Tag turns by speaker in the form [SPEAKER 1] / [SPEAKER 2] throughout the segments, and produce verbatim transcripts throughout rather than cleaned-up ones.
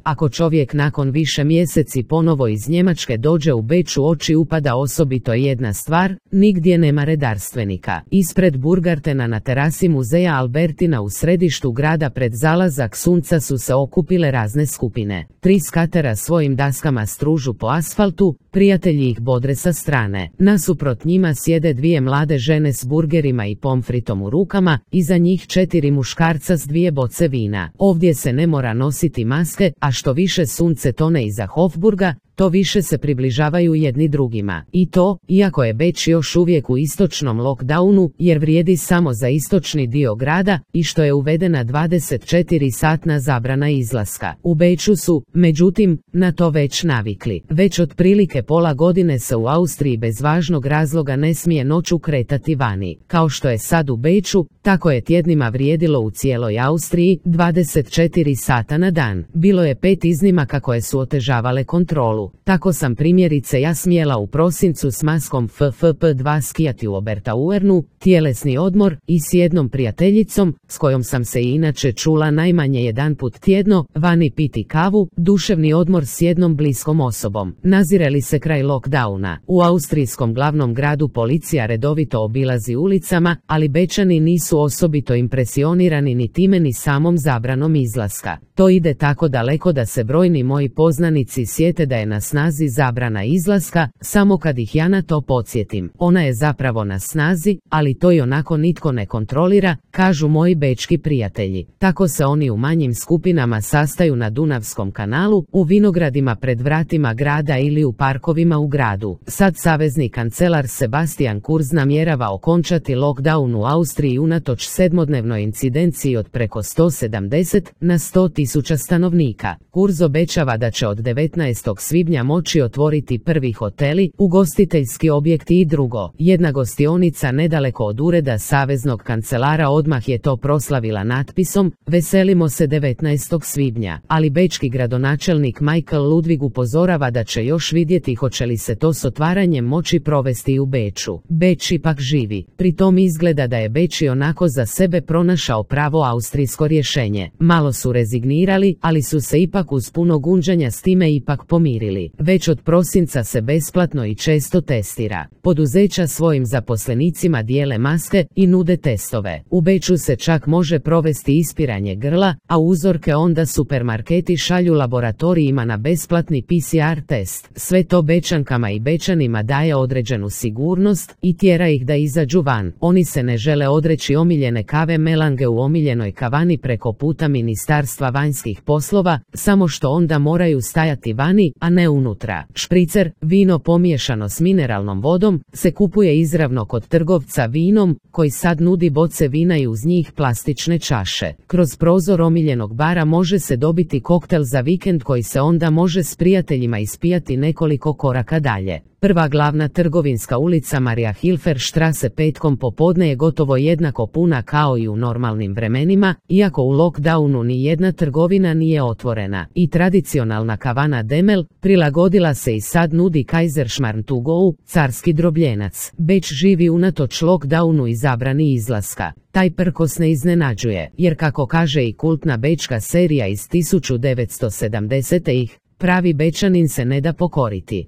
[SPEAKER 1] Ako čovjek nakon više mjeseci ponovo iz Njemačke dođe u Beč, u oči upada osobito jedna stvar, nigdje nema redarstvenika. Ispred Burgartena na terasi muzeja Albertina u središtu grada pred zalazak sunca su se okupile razne skupine. Tri skatera svojim daskama stružu po asfaltu, prijatelji ih bodre sa strane. Nasuprot njima sjede dvije mlade žene s burgerima i pomfritom u rukama, iza njih četiri muškarca s dvije boce vina. Ovdje se ne mora nositi maske, a što više sunce tone iza Hofburga, to više se približavaju jedni drugima. I to, iako je Beč još uvijek u istočnom lockdownu, jer vrijedi samo za istočni dio grada i što je uvedena dvadeset četiri satna zabrana izlaska. U Beču su, međutim, na to već navikli. Već otprilike pola godine se u Austriji bez važnog razloga ne smije noću kretati vani. Kao što je sad u Beču, tako je tjednima vrijedilo u cijeloj Austriji, dvadeset četiri sata na dan. Bilo je pet iznimaka koje su otežavale kontrolu. Tako sam primjerice ja smjela u prosincu s maskom F F P dva skijati u Obertauernu, tjelesni odmor, i s jednom prijateljicom, s kojom sam se i inače čula najmanje jedanput tjedno, vani piti kavu, duševni odmor s jednom bliskom osobom. Nazire li se kraj lockdowna? U austrijskom glavnom gradu policija redovito obilazi ulicama, ali Bečani nisu osobito impresionirani ni time ni samom zabranom izlaska. To ide tako daleko da se brojni moji poznanici sjete da je na snazi zabrana izlaska, samo kad ih ja na to podsjetim. Ona je zapravo na snazi, ali to i onako nitko ne kontrolira, kažu moji bečki prijatelji. Tako se oni u manjim skupinama sastaju na Dunavskom kanalu, u vinogradima pred vratima grada ili u parkovima u gradu. Sad savezni kancelar Sebastian Kurz namjerava okončati lockdown u Austriji unatoč sedmodnevnoj incidenciji od preko sto sedamdeset na sto tisuća stanovnika. Kurz obećava da će od devetnaestog svibnja moći otvoriti prvi hoteli, ugostiteljski objekti i drugo. Jedna gostionica nedaleko od ureda saveznog kancelara odmah je to proslavila natpisom "Veselimo se devetnaestog svibnja", ali bečki gradonačelnik Michael Ludwig upozorava da će još vidjeti hoće li se to s otvaranjem moći provesti u Beču. Beč ipak živi. Pri tom izgleda da je Beč onako za sebe pronašao pravo austrijsko rješenje. Malo su rezignirali, ali su se ipak uz puno gunđanja s time ipak pomirili. Već od prosinca se besplatno i često testira. Poduzeća svojim zaposlenicima dijele maske i nude testove. U Beču se čak može provesti ispiranje grla, a uzorke onda supermarketi šalju laboratorijima na besplatni P C R test. Sve to Bečankama i Bečanima daje određenu sigurnost i tjera ih da izađu van. Oni se ne žele odreći omiljene kave melange u omiljenoj kavani preko puta Ministarstva vanjskih poslova, samo što onda moraju stajati vani, a ne unutra. Špricer, vino pomiješano s mineralnom vodom, se kupuje izravno kod trgovca vinom, koji sad nudi boce vina i uz njih plastične čaše. Kroz prozor omiljenog bara može se dobiti koktel za vikend koji se onda može s prijateljima ispijati nekoliko koraka dalje. Prva glavna trgovinska ulica Maria Hilfer Strasse petkom popodne je gotovo jednako puna kao i u normalnim vremenima, iako u lockdownu ni jedna trgovina nije otvorena. I tradicionalna kavana Demel prilagodila se i sad nudi Kaiserschmarrn to go, carski drobljenac. Beč živi unatoč lockdownu i zabrani izlaska. Taj prkos ne iznenađuje, jer kako kaže i kultna bečka serija iz tisuću devetsto sedamdesetih, pravi Bečanin se ne da pokoriti.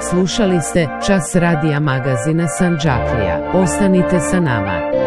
[SPEAKER 1] Slušali ste Čas radija magazina Sandžaklija. Ostanite sa nama.